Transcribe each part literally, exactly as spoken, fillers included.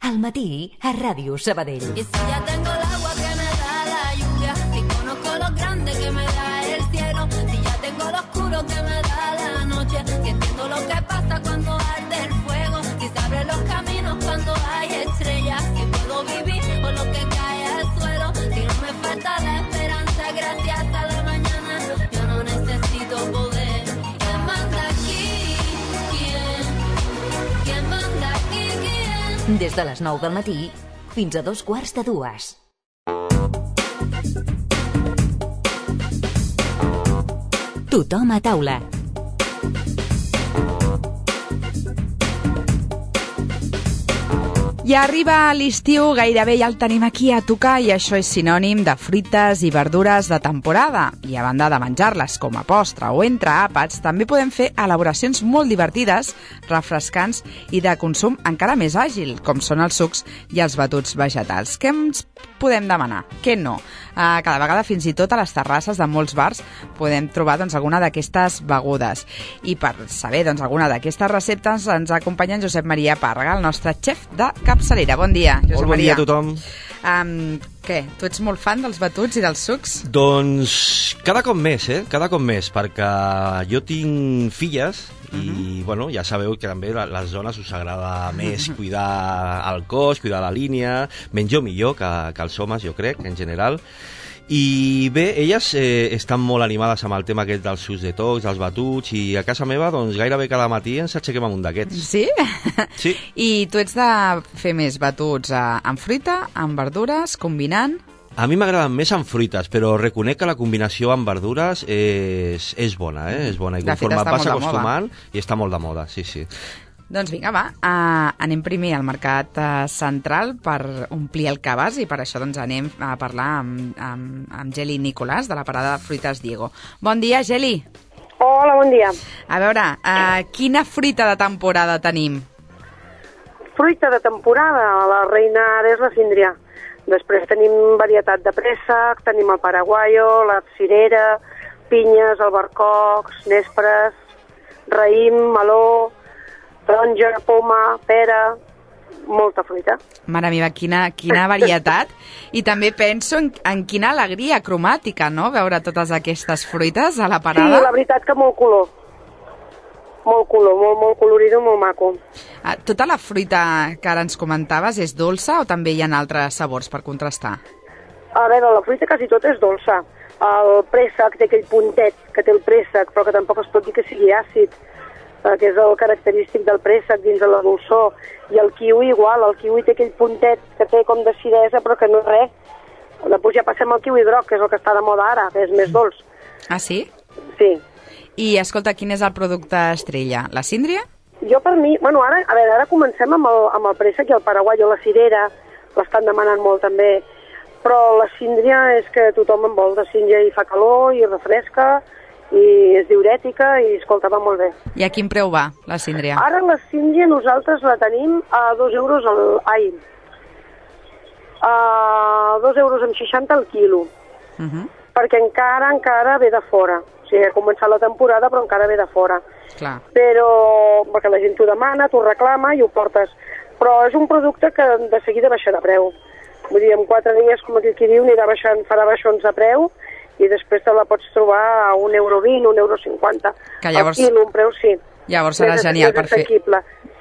Al matí, a Ràdio Sabadell. Y si ya tengo el agua que me da la lluvia, si conozco lo grande que me da el cielo, si ya tengo lo oscuro que me da la noche, si entiendo lo que pasa cuando arde el fuego, si se abren los caminos cuando hay estrellas, si puedo vivir con lo que cae al suelo, si no me falta la esperanza gracias a la mañana, yo no necesito poder. ¿Quién manda aquí? ¿Quién? ¿Quién manda aquí? ¿Quién? Des de les nou del matí fins a dos quarts de dues. Tothom a taula. Ja arriba l'estiu, gairebé ja el tenim aquí a tocar i això és sinònim de fruites i verdures de temporada. I a banda de menjar-les com a postre o entre àpats, també podem fer elaboracions molt divertides, refrescants i de consum encara més àgil, com són els sucs i els batuts vegetals. Què ens podem demanar? Què no? Uh, cada vegada, fins i tot a les terrasses de molts bars, podem trobar doncs, alguna d'aquestes begudes. I per saber doncs, alguna d'aquestes receptes ens acompanya en Josep Maria Pàrrega, el nostre xef de capçalera. Bon dia, Josep Molt bon Maria. dia a tothom. Um, què? Tu ets molt fan dels batuts i dels sucs? Doncs cada cop més, eh? Cada cop més, perquè jo tinc filles i, uh-huh. bueno, ja sabeu que també a les dones us agrada més cuidar el cos, cuidar la línia, menys o millor que, que els homes, jo crec, en general. I bé, elles eh, estan molt animades amb el tema aquest dels sucs detox, dels batuts, i a casa meva, doncs, gairebé cada matí ens aixequem amb un d'aquests. Sí? Sí. I tu ets de fer més batuts eh, amb fruita, amb verdures, combinant? A mi m'agraden més amb fruites, però reconec que la combinació amb verdures és, és bona, eh? És bona. I conforme et vas acostumant, i està molt de moda, sí, sí. Doncs vinga, va, uh, anem primer al mercat uh, central per omplir el cabàs i per això doncs, anem a parlar amb, amb, amb Geli Nicolàs de la parada de Fruites Diego. Bon dia, Geli. Hola, bon dia. A veure, uh, quina fruita de temporada tenim? Fruita de temporada, la reina ara és la síndria. Després tenim varietat de préssec, tenim el paraguaio, la cirera, pinyes, albercocs, nespres, raïm, meló, taronja, poma, pera, molta fruita. Mare meva, quina, quina varietat. I també penso en, en quina alegria cromàtica, no?, veure totes aquestes fruites a la parada. Sí, la veritat que molt color. Molt color, molt, molt colorido, molt maco. Ah, tota la fruita que ara ens comentaves és dolça o també hi ha altres sabors per contrastar? A veure, la fruita quasi tota és dolça. El préssec té aquell puntet que té el préssec, però que tampoc es pot dir que sigui àcid, que és el característic del préssec dins de la dolçor, i el kiwi igual, el kiwi té aquell puntet que té com de acidesa però que no és res. Després ja passem al kiwi groc, que és el que està de moda ara, que és més dolç. Ah, sí? Sí. I escolta, quin és el producte estrella? La síndria? Jo per mi, bueno, ara, a veure, ara comencem amb el, amb el préssec i el paraguaio, la cirera, l'estan demanant molt també, però la síndria és que tothom en vol, la síndria i fa calor i refresca, i és diurètica i, escolta, va molt bé. I a quin preu va, la síndria? Ara la síndria nosaltres la tenim a dos euros al... Ai, a dos euros amb seixanta al quilo, uh-huh. perquè encara, encara ve de fora. O sigui, ha començat la temporada, però encara ve de fora. Clar. Però, perquè la gent t'ho demana, t'ho reclama i ho portes. Però és un producte que de seguida baixa de preu. Vull dir, en quatre dies, com aquí qui diu, anirà baixant, farà baixons de preu, i després te la pots trobar a un euro vint, un euro cinquanta. Que llavors... Al quilo, un preu, sí. Llavors serà més, genial més per fer...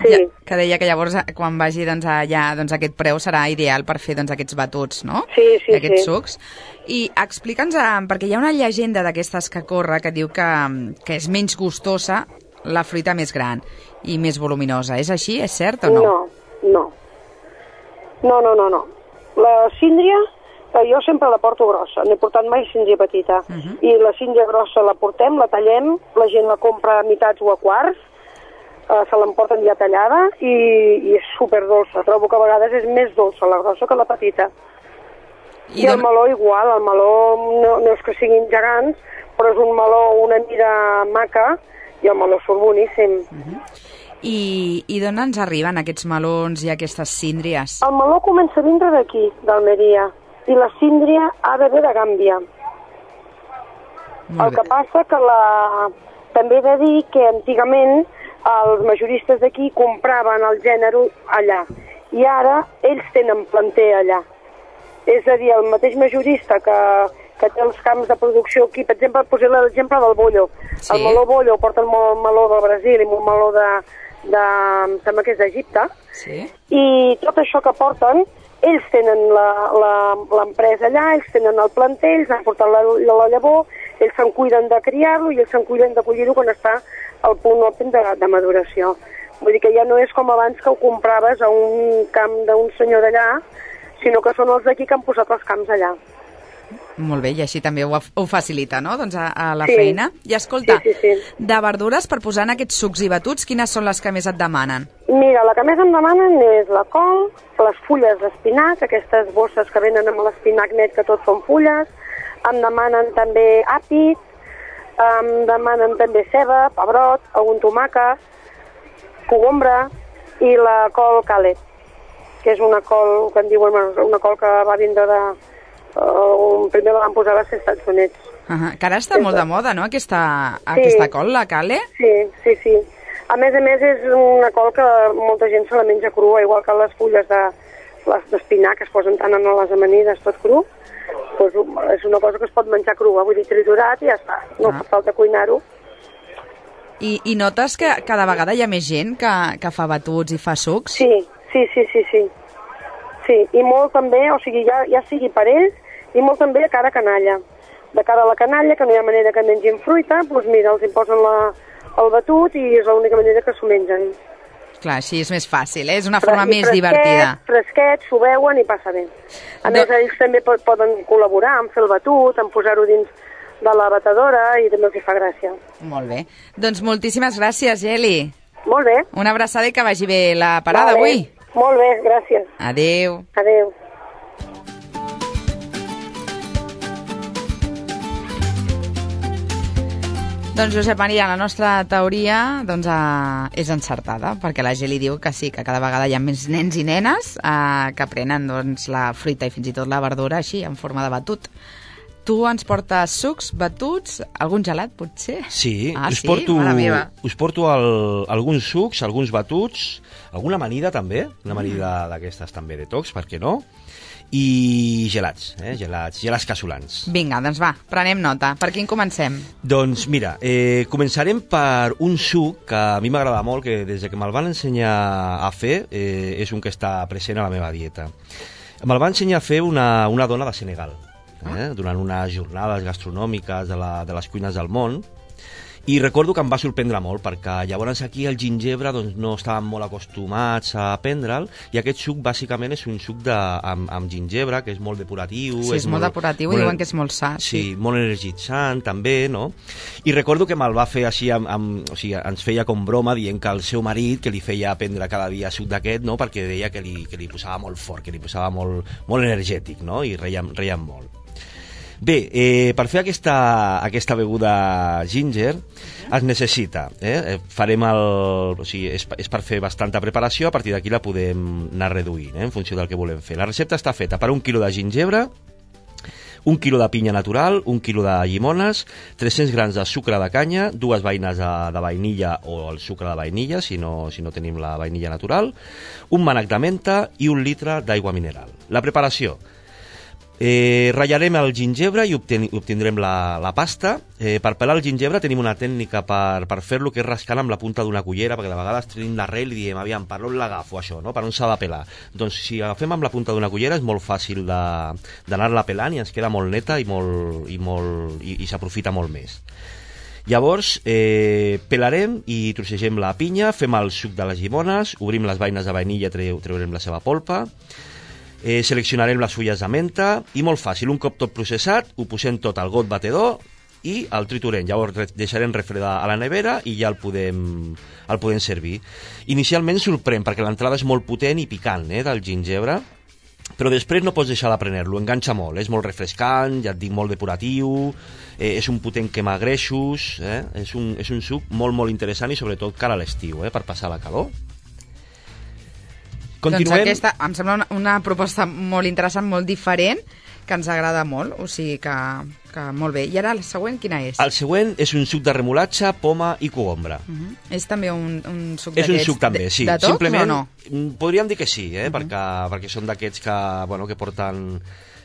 Sí. Ja, que deia que llavors, quan vagi doncs, allà, doncs, aquest preu serà ideal per fer doncs, aquests batuts, no? Sí, sí, aquests sí. sucs. I explica'ns, perquè hi ha una llegenda d'aquestes que corre que diu que, que és menys gustosa la fruita més gran i més voluminosa. És així? És cert o no? No, no. No, no, no, no. La síndria... Jo sempre la porto grossa, no he portat mai síndria petita. Uh-huh. I la síndria grossa la portem, la tallem, la gent la compra a mitats o a quarts, eh, se l'emporten ja tallada i, i és superdolça. Trobo que a vegades és més dolça la grossa que la petita. I, I el don... meló igual, el meló no, no és que siguin gegants, però és un meló una mida maca i el meló surt boníssim. Uh-huh. I, i d'on ens arriben aquests melons i aquestes síndries? El meló comença a vindre d'aquí, d'Almeria. I la síndria ha de ve de Gàmbia. El que passa que la... també he de dir que antigament els majoristes d'aquí compraven el gènere allà i ara ells tenen planter allà. És a dir, el mateix majorista que, que té els camps de producció aquí, per exemple, posem l'exemple del bollo. Sí. El meló bollo porten molt meló del Brasil i molt meló de, de sembla que és d'Egipte, sí. I tot això que porten, ells tenen l'empresa allà, ells tenen el planter, ells han portat la, la llavor, ells se'n cuiden de criar-lo i ells se'n cuiden de collir-ho quan està al punt òptim de, de maduració. Vull dir que ja no és com abans que ho compraves a un camp d'un senyor d'allà, sinó que són els d'aquí que han posat els camps allà. Molt bé, i així també ho, ho facilita, no?, doncs a, a la sí. feina. I escolta, sí, sí, sí. de verdures, per posar en aquests sucs i batuts, quines són les que més et demanen? Mira, la que més em demanen és la col, les fulles d'espinac, aquestes bosses que venen amb l'espinac net, que tot són fulles, em demanen també àpid, em demanen també ceba, pebrot, algun tomàquet, cogombra i la col calet, que és una col, que en diuen, una col que va vindre de... Uh, primer la van posar als Estats Units. Uh -huh. Que ara està sí, molt de moda, no?, aquesta, sí. aquesta col, la cale? Sí, sí, sí. A més a més és una col que molta gent se la menja crua, igual que les fulles de les d'espinac que es posen tant en les amanides tot cru, doncs és una cosa que es pot menjar crua, vull dir, triturat i ja està, no ah. fa falta cuinar-ho. I, I notes que cada vegada hi ha més gent que, que fa batuts i fa sucs? Sí, sí, sí, sí, sí. Sí, i molt també, o sigui, ja, ja sigui per ells, i molt també de cara a canalla. De cara a la canalla, que no hi ha manera que mengin fruita, doncs mira, els hi posen la, el batut i és l'única manera que s'ho mengen. Clar, així és més fàcil, eh? És una forma Fres, més fresquet, divertida. Fresquet, s'ho veuen i passa bé. A de... més, ells també poden col·laborar en fer el batut, en posar-ho dins de la batedora i també els hi fa gràcia. Molt bé. Doncs moltíssimes gràcies, Geli. Molt bé. Una abraçada i que vagi bé la parada vale. avui. Molt bé, gràcies. Adéu. Adéu. Doncs, Josep Maria, la nostra teoria doncs, eh, és encertada, perquè la Geli diu que sí, que cada vegada hi ha més nens i nenes eh, que prenen doncs, la fruita i fins i tot la verdura així, en forma de batut. Tu ens portes sucs, batuts, algun gelat, potser? Sí, ah, us, sí? porto, us porto el, alguns sucs, alguns batuts, alguna amanida també, una amanida mm. d'aquestes també de tocs, per què no? I gelats, eh? gelats, gelats casolans. Vinga, doncs va, prenem nota. Per quin comencem? Doncs mira, eh, començarem per un suc que a mi m'agrada molt, que des que me'l van ensenyar a fer, eh, és un que està present a la meva dieta. Me'l va ensenyar a fer una, una dona de Senegal, eh? durant unes jornades gastronòmiques de, la, de les cuines del món, i recordo que em va sorprendre molt, perquè llavors aquí el gingebre doncs, no estàvem molt acostumats a prendre'l, i aquest suc bàsicament és un suc de, amb, amb gingebre, que és molt depuratiu. Sí, és, és molt depuratiu, molt, diuen que és molt sa. Sí, sí, molt energitzant també, no? I recordo que me'l va fer així, amb, amb, o sigui, ens feia com broma, dient que el seu marit, que li feia prendre cada dia suc d'aquest, no? Perquè deia que li, que li posava molt fort, que li posava molt, molt energètic, no? I reiem, reiem molt. Bé, eh, per fer aquesta, aquesta beguda ginger es necessita, eh? Farem el, o sigui, és, és per fer bastanta preparació, a partir d'aquí la podem anar reduint, eh? En funció del que volem fer. La recepta està feta per un quilo de gingebre, un quilo de pinya natural, un quilo de llimones, tres-cents grams de sucre de canya, dues vaines de, de vainilla o el sucre de vainilla, si no, si no tenim la vainilla natural, un mànec de menta i un litre d'aigua mineral. La preparació. Eh, ratllarem el gingebre i obten obtindrem la, la pasta. Eh, per pelar el gingebre tenim una tècnica per, per fer-lo, que és rascant amb la punta d'una cullera, perquè de vegades tenim l'arrel i diem, aviam, per on l'agafo això, no? Per on s'ha de pelar? Doncs si agafem amb la punta d'una cullera és molt fàcil d'anar-la pelant i ens queda molt neta i, molt, i, molt, i, i s'aprofita molt més. Llavors, eh, pelarem i trossegem la pinya, fem el suc de les llimones, obrim les vaines de vainilla, treu, treurem la seva polpa, Eh, seleccionarem les fulles de menta i molt fàcil, un cop tot processat ho posem tot al got batedor i el triturem, llavors deixarem refredar a la nevera i ja el podem, el podem servir. Inicialment sorprèn perquè l'entrada és molt potent i picant, eh, del gingebre, però després no pots deixar de prendre-lo, enganxa molt, és molt refrescant, ja et dic, molt depuratiu, eh, és un potent quema greixos, eh, és, un, és un suc molt molt interessant i sobretot cara a l'estiu, eh, per passar la calor. Continuem. Doncs aquesta em sembla una, una proposta molt interessant, molt diferent, que ens agrada molt, o sigui que, que molt bé. I ara la següent, quina és? El següent és un suc de remolatxa, poma i cogombra. Uh -huh. És també un, un suc És d'aquests? un suc també, sí. De tots Simplement, o no? podríem dir que sí, eh? uh -huh. perquè, perquè són d'aquests que, bueno, que porten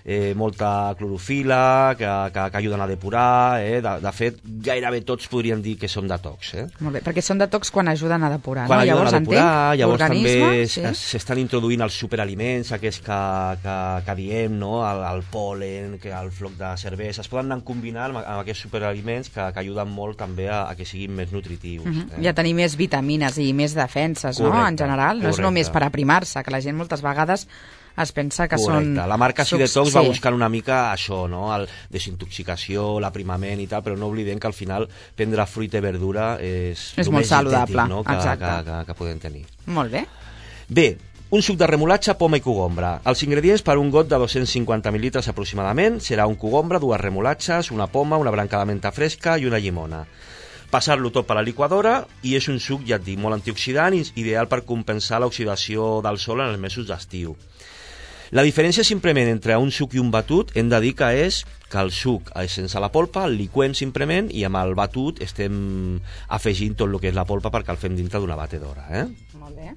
eh, molta clorofila, que, que, que ajuden a depurar. Eh? De, de fet, gairebé tots podríem dir que són detox. Eh? Molt bé, perquè són detox quan ajuden a depurar. Quan no? ajuden Llavors, a depurar, entenc, llavors també sí? s'estan introduint els superaliments, aquests que, que, que diem, no? el, el pol·len, que el floc de cervesa, es poden anar combinant amb, amb aquests superaliments que, que ajuden molt també a, a que siguin més nutritius. Uh -huh. eh? I a tenir més vitamines i més defenses, correcte, no? En general, no correcte. és només per aprimar-se, que la gent moltes vegades es pensa que correcte. són... La marca sucs, Sidetox sí. va buscant una mica això, no? El desintoxicació, l'aprimament i tal, però no oblidem que al final prendre fruita i verdura és, És el molt més saludable, dietètic, no? que, exacte. que, que, que podem tenir. Molt bé. Bé, un suc de remolatxa, poma i cogombra. Els ingredients per un got de dos-cents cinquanta mil·litres aproximadament serà un cogombra, dues remolatxes, una poma, una branca de menta fresca i una llimona. Passar-lo tot per la liquadora i és un suc, ja et dic, molt antioxidant i ideal per compensar l'oxidació del sol en els mesos d'estiu. La diferència simplement entre un suc i un batut hem de dir que és que el suc és sense la polpa, el liquem simplement i amb el batut estem afegint tot el que és la polpa perquè el fem dintre d'una batedora. Eh? Molt bé.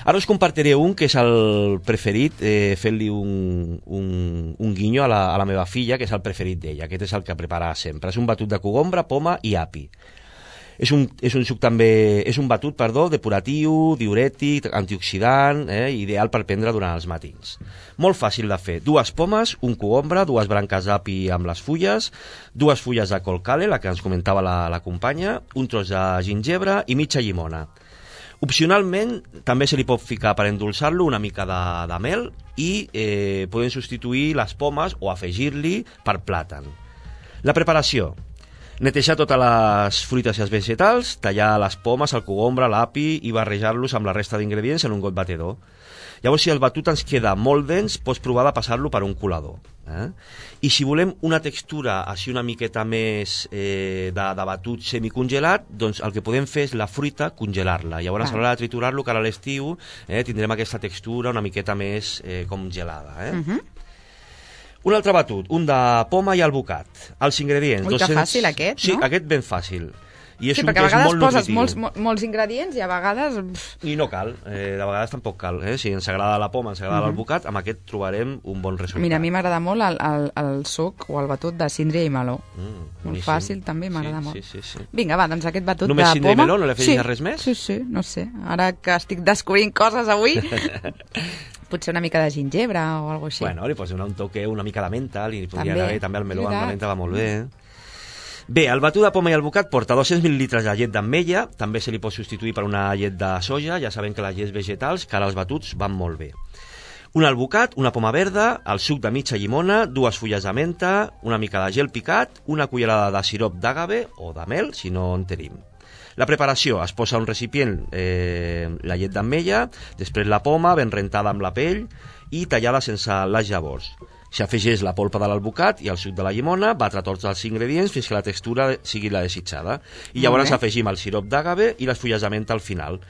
Ara us compartiré un que és el preferit, eh, fent-li un, un, un guinyo a la, a la meva filla, que és el preferit d'ella. Aquest és el que prepara sempre. És un batut de cogombra, poma i api. És un, és un suc també, és un batut, perdó, depuratiu, diurètic, antioxidant, eh, ideal per prendre durant els matins. Molt fàcil de fer. Dues pomes, un cogombra, dues branques d'api amb les fulles, dues fulles de colcale, la que ens comentava la, la companya, un tros de gingebre i mitja llimona. Opcionalment, també se li pot ficar per endolçar-lo una mica de, de mel i eh, podem substituir les pomes o afegir-li per plàtan. La preparació. Netejar totes les fruites i els vegetals, tallar les pomes, el cogombre, l'api i barrejar-los amb la resta d'ingredients en un got batedor. Llavors, si el batut ens queda molt dens, pots provar de passar-lo per un colador. Eh? I si volem una textura així una miqueta més eh, de, de batut semicongelat, doncs el que podem fer és la fruita congelar-la. Llavors, ah. a l'hora de triturar-lo, que ara a l'estiu eh, tindrem aquesta textura una miqueta més eh, com gelada. Eh? Uh-huh. Un altre batut, un de poma i albocat. Els ingredients... Ui, que fàcil aquest, sí, no? Sí, aquest ben fàcil. I és sí, un perquè que a vegades és molt poses nutritiu. molts, molts ingredients i a vegades... Pff. I no cal, eh, de vegades tampoc cal. Eh? Si ens agrada la poma, ens agrada uh-huh. l'albocat, amb aquest trobarem un bon resultat. Mira, a mi m'agrada molt el, el, el suc o el batut de síndria i meló. Mm, molt fàcil, també, m'agrada sí, molt. Sí, sí, sí. Vinga, va, doncs aquest batut Només de síndria poma... i meló? No li afegis sí, res més? Sí, sí, no sé. Ara que estic descobrint coses avui... Potser una mica de gingebre o alguna cosa així. Bueno, li pots donar un toque, una mica de menta, li podria també, anar bé, també el meló amb la veritat. menta va molt bé. Bé, el batut de poma i albocat porta dos-cents mil·litres de llet d'ametlla, també se li pot substituir per una llet de soja, ja sabem que les llets vegetals, que ara els batuts van molt bé. Un albocat, una poma verda, el suc de mitja llimona, dues fulles de menta, una mica de gel picat, una cullerada de sirop d'àgave o de mel, si no en tenim. La preparació, es posa un recipient eh, la llet d'ametlla, després la poma ben rentada amb la pell i tallada sense les llavors. S'afegeix la polpa de l'albocat i el suc de la llimona, batre tots els ingredients fins que la textura sigui la desitjada. I llavors afegim el sirop d'àgave i les fulles de menta al final.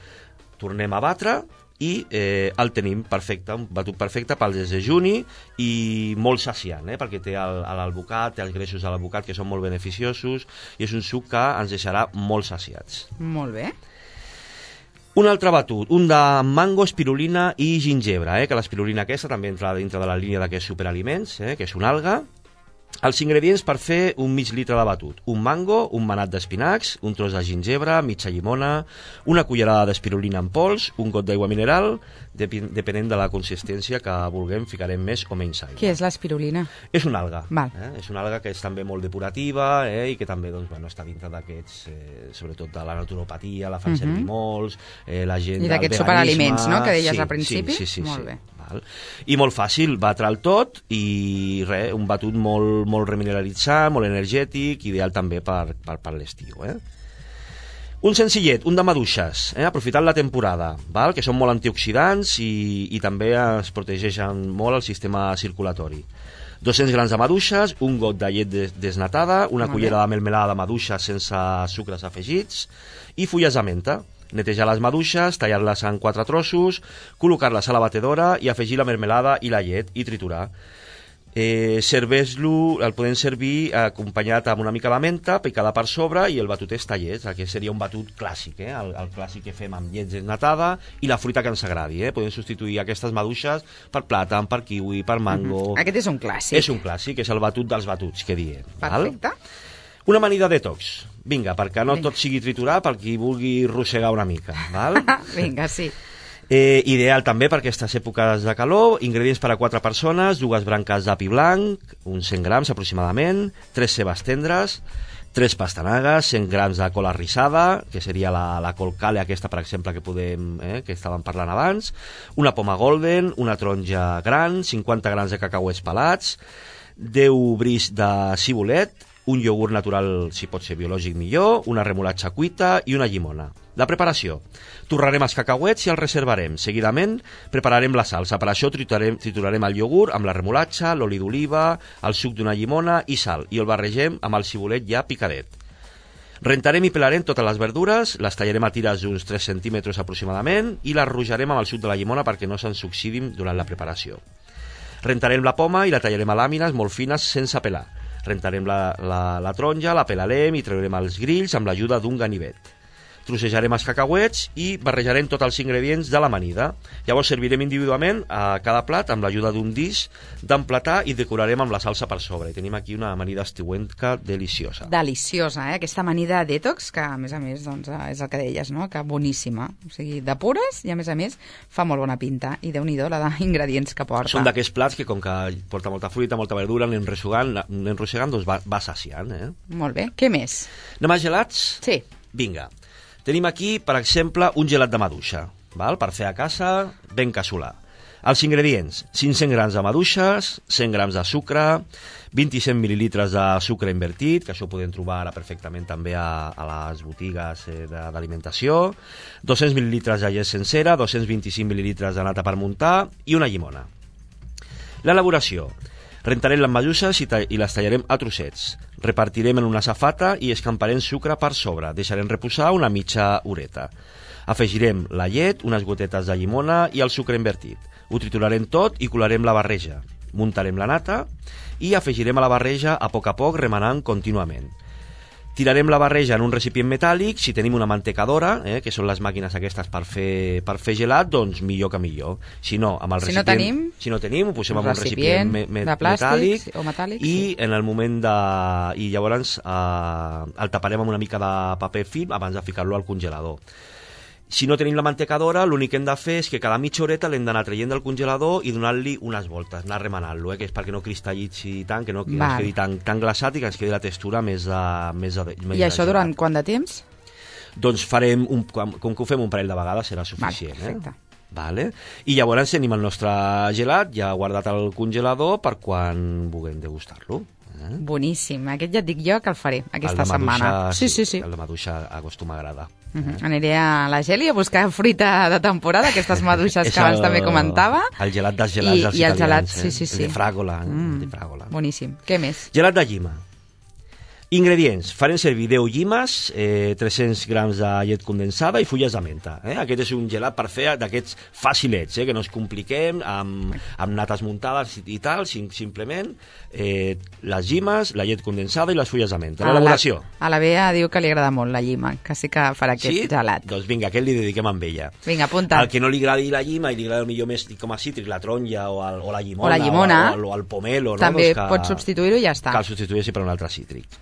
Tornem a batre i eh, el tenim perfecte, un batut perfecte pel desdejuni i molt saciant, eh, perquè té l'albocat, té els greixos de l'albocat que són molt beneficiosos i és un suc que ens deixarà molt saciats. Molt bé. Un altre batut, un de mango, espirulina i gingebre, eh, que l'espirulina aquesta també entra dintre de la línia d'aquests superaliments, eh, que és una alga. Els ingredients per fer un mig litre de batut: un mango, un manat d'espinacs, un tros de gingebre, mitja llimona, una cullerada d'espirulina en pols, un got d'aigua mineral, depenent de la consistència que vulguem, ficarem més o menys aigua. Què és l'espirulina? És una alga. Eh? És una alga que és també molt depurativa eh, i que també doncs, bueno, està dintre d'aquests, eh, sobretot de la naturopatia, la fan uh-huh. servir molts, eh, la gent I del d'aquests veganisme... superaliments, no?, que deies sí, al principi. Sí, sí, sí, molt sí. bé. Val. I molt fàcil, batre el tot i res, un batut molt, molt remineralitzat, molt energètic, ideal també per, per, per l'estiu. Eh? Un senzillet, un de maduixes, eh? aprofitant la temporada, val? Que són molt antioxidants i, i també es protegeixen molt el sistema circulatori. dos-cents grams de maduixes, un got de llet des desnatada, una molt cullera bé. de melmelada de maduixes sense sucres afegits i fulles de menta. Netejar les maduixes, tallar-les en quatre trossos, col·locar-les a la batedora i afegir la melmelada i la llet i triturar. Eh, serveix-lo, el podem servir acompanyat amb una mica de menta picada per sobre i el batut és tallers, que seria un batut clàssic, eh? el, el clàssic que fem amb llet desnatada i la fruita que ens agradi. Eh? Podem substituir aquestes maduixes per plàtan, per kiwi, per mango. Mm-hmm. Aquest és un clàssic. És un clàssic, és el batut dels batuts que diem. Perfecte. Val? Una amanida detox. Vinga, perquè no Vinga. tot sigui triturar, per qui vulgui rossegar una mica. Val? Vinga, sí. Eh, ideal també per aquestes èpoques de calor. Ingredients per a quatre persones, dues branques d'api blanc, uns cent grams aproximadament, tres cebes tendres, tres pastanagues, cent grams de col arrissada, que seria la, la col cale aquesta, per exemple, que podem, eh, que estàvem parlant abans, una poma golden, una taronja gran, cinquanta grams de cacauets pelats, deu bris de cibulet, un iogurt natural, si pot ser biològic millor, una remolatxa cuita i una llimona. La preparació. Torrarem els cacauets i els reservarem. Seguidament prepararem la salsa. Per això triturarem, triturarem el iogurt amb la remolatxa, l'oli d'oliva, el suc d'una llimona i sal, i el barregem amb el cibulet ja picadet. Rentarem i pelarem totes les verdures, les tallarem a tires d'uns tres centímetres aproximadament i les rujarem amb el suc de la llimona perquè no se'ns oxidin durant la preparació. Rentarem la poma i la tallarem a làmines molt fines sense pelar. Rentarem la, la, la taronja, la pelarem i traurem els grills amb l'ajuda d'un ganivet. Trossejarem els cacauets i barrejarem tots els ingredients de l'amanida. Llavors servirem individualment a cada plat amb l'ajuda d'un disc d'emplatar i decorarem amb la salsa per sobre. I tenim aquí una amanida estiuenca deliciosa. Deliciosa, eh? Aquesta amanida detox, que a més a més doncs, és el que deies, no? Que boníssima. O sigui, de pures i a més a més fa molt bona pinta. I Déu-n'hi-do la d'ingredients que porta. Són d'aquests plats que com que porta molta fruita, molta verdura, anem ressegant, anem ressegant doncs va, va saciant. Eh? Molt bé. Què més? Anem a gelats? Sí. Vinga. Tenim aquí, per exemple, un gelat de maduixa, val? Per fer a casa, ben casolà. Els ingredients, cinc-cents grams de maduixes, cent grams de sucre, vint-i-cinc mil·lilitres de sucre invertit, que això ho podem trobar ara perfectament també a, a les botigues eh, d'alimentació, dos-cents mil·lilitres de llet sencera, dos-cents vint-i-cinc mil·lilitres de nata per muntar i una llimona. L'elaboració. Rentarem les maduixes i, i les tallarem a trossets. Repartirem en una safata i escamparem sucre per sobre. Deixarem reposar una mitja horeta. Afegirem la llet, unes gotetes de llimona i el sucre invertit. Ho triturarem tot i colarem la barreja. Muntarem la nata i afegirem a la barreja a poc a poc remenant contínuament. Tirarem la barreja en un recipient metàl·lic. Si tenim una mantecadora, eh, que són les màquines aquestes per fer, per fer gelat, doncs millor que millor. Si no, amb el si recipient, no tenim, si no tenim, ho posem en un recipient recipient me, me, de plàstic metàl·lic o metàl·lic, i sí. en el moment de... i llavors eh, el taparem amb una mica de paper film abans de ficar-lo al congelador. Si no tenim la mantecadora, l'únic que hem de fer és que cada mitja horeta l'hem d'anar traient del congelador i donar-li unes voltes, anar remenant-lo, eh, que és perquè no cristal·litzi tant, que no que ens quedi tan, tan glaçat i que ens quedi la textura més de, més de, més I això de durant quant de temps? Doncs farem, un, com, com que ho fem un parell de vegades serà suficient. Vale, perfecte. Eh? Vale. I llavors tenim el nostre gelat ja guardat al congelador per quan vulguem degustar-lo. Eh? Boníssim. Aquest ja et dic jo que el faré aquesta el de setmana. Maduixa, Sí, sí, sí. El de maduixa acostuma a agradar. Uh -huh. Aniré a la Geli a buscar fruita de temporada, aquestes maduixes És que abans el- també comentava. El gelat dels gelats I, dels i el gelat, italians. sí, eh? sí, sí. El de fràgola. Mm. el de fràgola. Boníssim. Què més? Gelat de llima. Ingredients. Farem servir deu llimes, eh, tres-cents grams de llet condensada i fulles de menta. Eh? Aquest és un gelat per fer d'aquests facilets, eh? que no ens compliquem amb, amb nates muntades i, i tal, sim, simplement eh, les llimes, la llet condensada i les fulles de menta. L'elaboració. A la, a la Bea diu que li agrada molt la llima, que sí que farà aquest Sí? gelat. Doncs vinga, aquest li dediquem amb ella. Vinga, apunta. Al que no li agradi la llima i li agrada millor més com a cítric, la taronja o, el, o la llimona, O la llimona. o, el, o el pomelo. No? També doncs que, pots substituir-ho i ja està. Que el substitueixi per un altre cítric.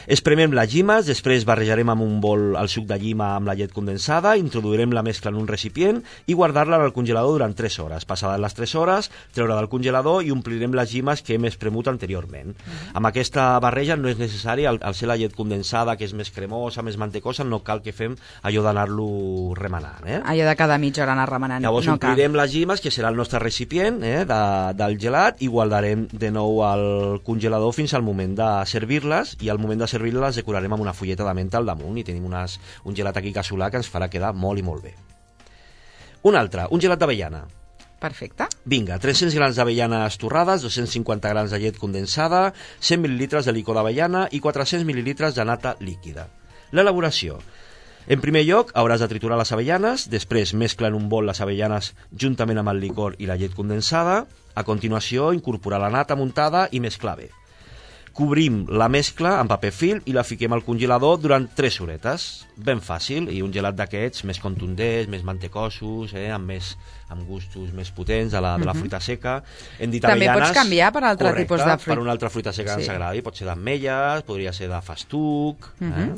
Espremem les llimes, després barrejarem amb un bol el suc de llima amb la llet condensada, introduirem la mescla en un recipient i guardar-la en el congelador durant tres hores. Passades les tres hores, treure del congelador i omplirem les llimes que hem espremut anteriorment. Uh-huh. Amb aquesta barreja no és necessari, al, al ser la llet condensada, que és més cremosa, més mantecosa, no cal que fem allò d'anar-lo remenant. Eh? Allò de cada mitja hora anar remenant. Llavors no omplirem cal. les llimes, que serà el nostre recipient eh, de, del gelat, i guardarem de nou al congelador fins al moment de servir-les, i al moment de servir-les les decorarem amb una fulleta de menta al damunt i tenim unes, un gelat aquí casolà que ens farà quedar molt i molt bé. Un altre, un gelat d'avellana. Perfecte. Vinga, tres-cents grams d'avellanes torrades, dos-cents cinquanta grams de llet condensada, cent mil·lilitres de licor d'avellana i quatre-cents mil·lilitres de nata líquida. L'elaboració. En primer lloc, hauràs de triturar les avellanes, després mescla en un bol les avellanes juntament amb el licor i la llet condensada, a continuació incorporar la nata muntada i mesclar bé. Cobrim la mescla amb paper film i la fiquem al congelador durant tres horetes. Ben fàcil, i un gelat d'aquests més contundents, més mantecosos, eh, amb, més, amb gustos més potents de la, de la fruita seca. Hem dit També avellanes, pots canviar per altre correcte, tipus de fruita. per una altra fruita seca que Sí. ens agradi. Pot ser d'ametlles, podria ser de festuc... eh?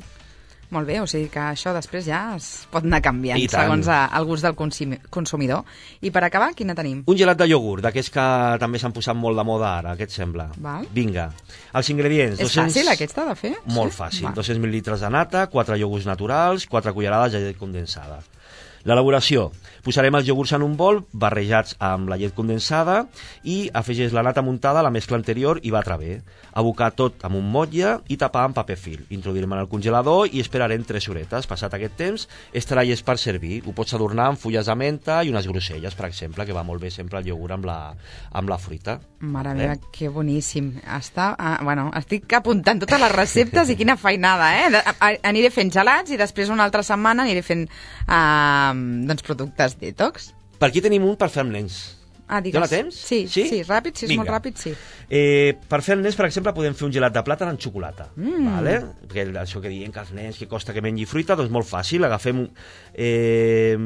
Molt bé, o sigui que això després ja es pot anar canviant I tant. segons a, el gust del consumi- consumidor. I per acabar, quina tenim? Un gelat de iogurt, d'aquests que també s'han posat molt de moda ara, què et sembla? Val. Vinga. Els ingredients... És fàcil aquesta de fer? Molt Sí? fàcil. Val. dos-cents mil·litres de nata, quatre iogurts naturals, quatre cullerades de llet condensada. L'elaboració. Posarem els iogurts en un bol, barrejats amb la llet condensada, i afegeix la nata muntada a la mescla anterior i batre bé. Abocar tot amb un motlle i tapar amb paper film. Introduirem en el congelador i esperarem tres horetes. Passat aquest temps, estarà llest per servir. Ho pots adornar amb fulles de menta i unes groselles, per exemple, que va molt bé sempre el iogurt amb la, amb la fruita. Mare Eh? meva, que boníssim. Està, ah, bueno, estic apuntant totes les receptes i quina feinada, eh? De, a, aniré fent gelats i després una altra setmana aniré fent uh, doncs, productes detox. Per aquí tenim un per fer amb nens. Ah, digues. Ja la tens? Sí, sí, sí, ràpid, si és Vinga. molt ràpid, sí. Eh, per fer els nens, per exemple, podem fer un gelat de plàtan amb xocolata. Mm. Vale? Perquè això que diuen que els nens que costa que mengi fruita, doncs molt fàcil. Agafem, eh,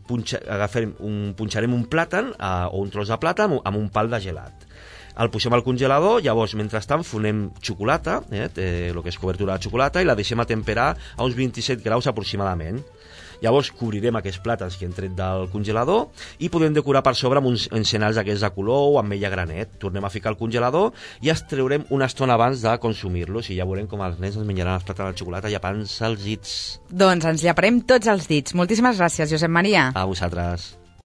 punxa, agafem un, punxarem un plàtan eh, o un tros de plàtan amb, amb un pal de gelat. El posem al congelador, llavors, mentrestant, fonem xocolata, eh, el que és cobertura de xocolata, i la deixem a temperar a uns vint-i-set graus aproximadament. Llavors cobrirem aquests plàtans que hem tret del congelador i podem decorar per sobre amb uns encenalls aquests de color o ametlla granet. Tornem a ficar al congelador i els treurem una estona abans de consumir-los i ja veurem com els nens ens menjaran els plàtans de xocolata llepant-se els dits. Doncs ens lleparem tots els dits. Moltíssimes gràcies, Josep Maria. A vosaltres.